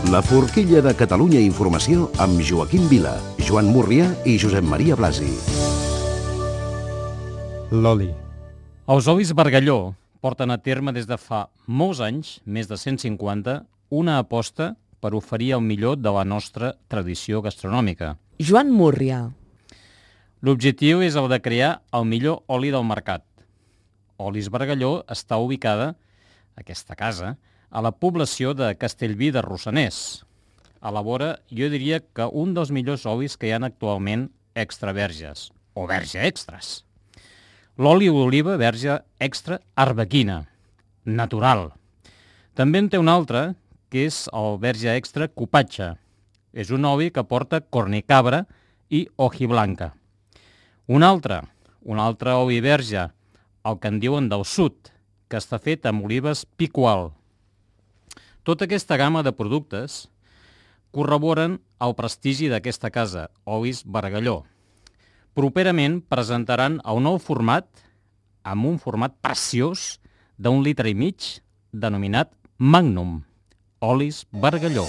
La forquilla de Catalunya Informació amb Joaquim Vila, Joan Múrria i Josep Maria Blasi. L'oli. Els olis Bargalló porten a terme des de fa molts anys, més de 150, una aposta per oferir el millor de la nostra tradició gastronòmica. Joan Múrria. L'objectiu és el de crear el millor oli del mercat. Olis Bargalló està ubicada, aquesta casa, a la població de Castellví de Rossoners. Elabora, jo diria que un dels millors olis que hi ha actualment extra verges, o verge extras. L'oli d'oliva verge extra arbequina, natural. També en té un altre, que és el verge extra cupatge. És un oli que porta cornicabra i hojiblanca. Un altre oli verge, el que en diuen del sud, que està fet amb olives picual. Tota aquesta gamma de productes corroboren el prestigi d'aquesta casa, Olis Bargalló. Properament presentaran el nou format, amb un format preciós d'1,5 litres, denominat Magnum, Olis Bargalló.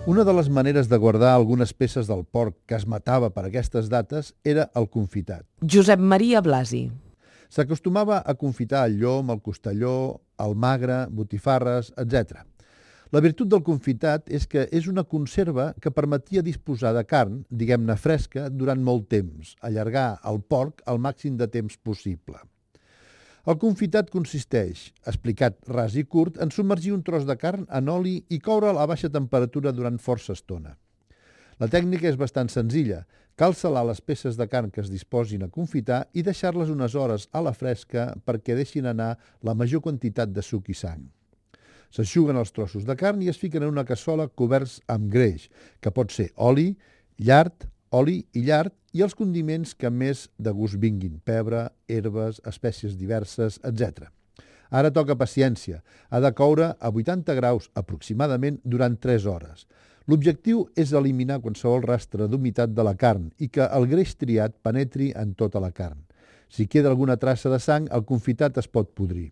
Una de les maneres de guardar algunes peces del porc que es matava per aquestes dates era el confitat. Josep Maria Blasi. S'acostumava a confitar el llom, el costelló, el magre, botifarres, etc. La virtut del confitat és que és una conserva que permetia disposar de carn, diguem-ne fresca, durant molt temps, allargar el porc al màxim de temps possible. El confitat consisteix, explicat ras i curt, en submergir un tros de carn en oli i coure'l a baixa temperatura durant força estona. La tècnica és bastant senzilla. Cal salar les peces de carn que es disposin a confitar i deixar-les unes hores a la fresca perquè deixin anar la major quantitat de suc i sang. S'eixuguen els trossos de carn i es fiquen en una cassola coberts amb greix, que pot ser oli, llard, oli i llard, i els condiments que més de gust vinguin, pebre, herbes, espècies diverses, etc. Ara toca paciència. Ha de coure a 80 graus aproximadament durant 3 hores. L'objectiu és eliminar qualsevol rastre d'humitat de la carn i que el greix triat penetri en tota la carn. Si queda alguna traça de sang, el confitat es pot podrir.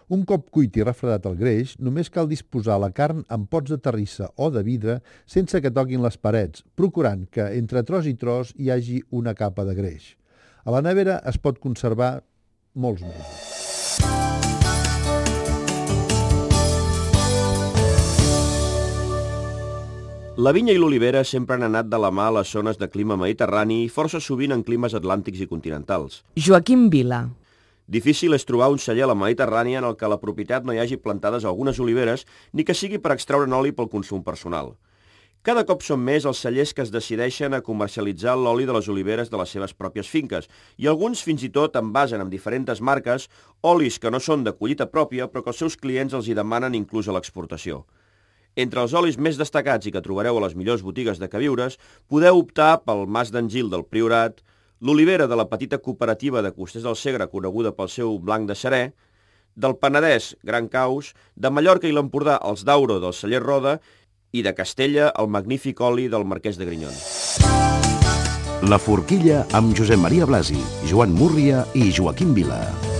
Un cop cuit i refredat el greix, només cal disposar la carn en pots de terrissa o de vidre sense que toquin les parets, procurant que entre tros i tros hi hagi una capa de greix. A la nevera es pot conservar molts mesos. La vinya i l'olivera sempre han anat de la mà a les zones de clima mediterrani i força sovint en climes atlàntics i continentals. Joaquim Vila. Difícil és trobar un celler a la Mediterrània en el que a la propietat no hi hagi plantades algunes oliveres ni que sigui per extraure oli pel consum personal. Cada cop són més els cellers que es decideixen a comercialitzar l'oli de les oliveres de les seves pròpies finques i alguns fins i tot envasen amb diferents marques olis que no són de collita pròpia però que els seus clients els hi demanen inclús a l'exportació. Entre els olis més destacats i que trobareu a les millors botigues de queviures podeu optar pel Mas d'en Gil del Priorat, l'olivera de la petita cooperativa de Costers del Segre, coneguda pel seu blanc de Xerè, del Penedès, Gran Caus, de Mallorca i l'Empordà, els d'Auro del celler Roda, i de Castella, el magnífic oli del Marquès de Grinyon. La forquilla amb Josep Maria Blasi, Joan Múrria i Joaquim Vila.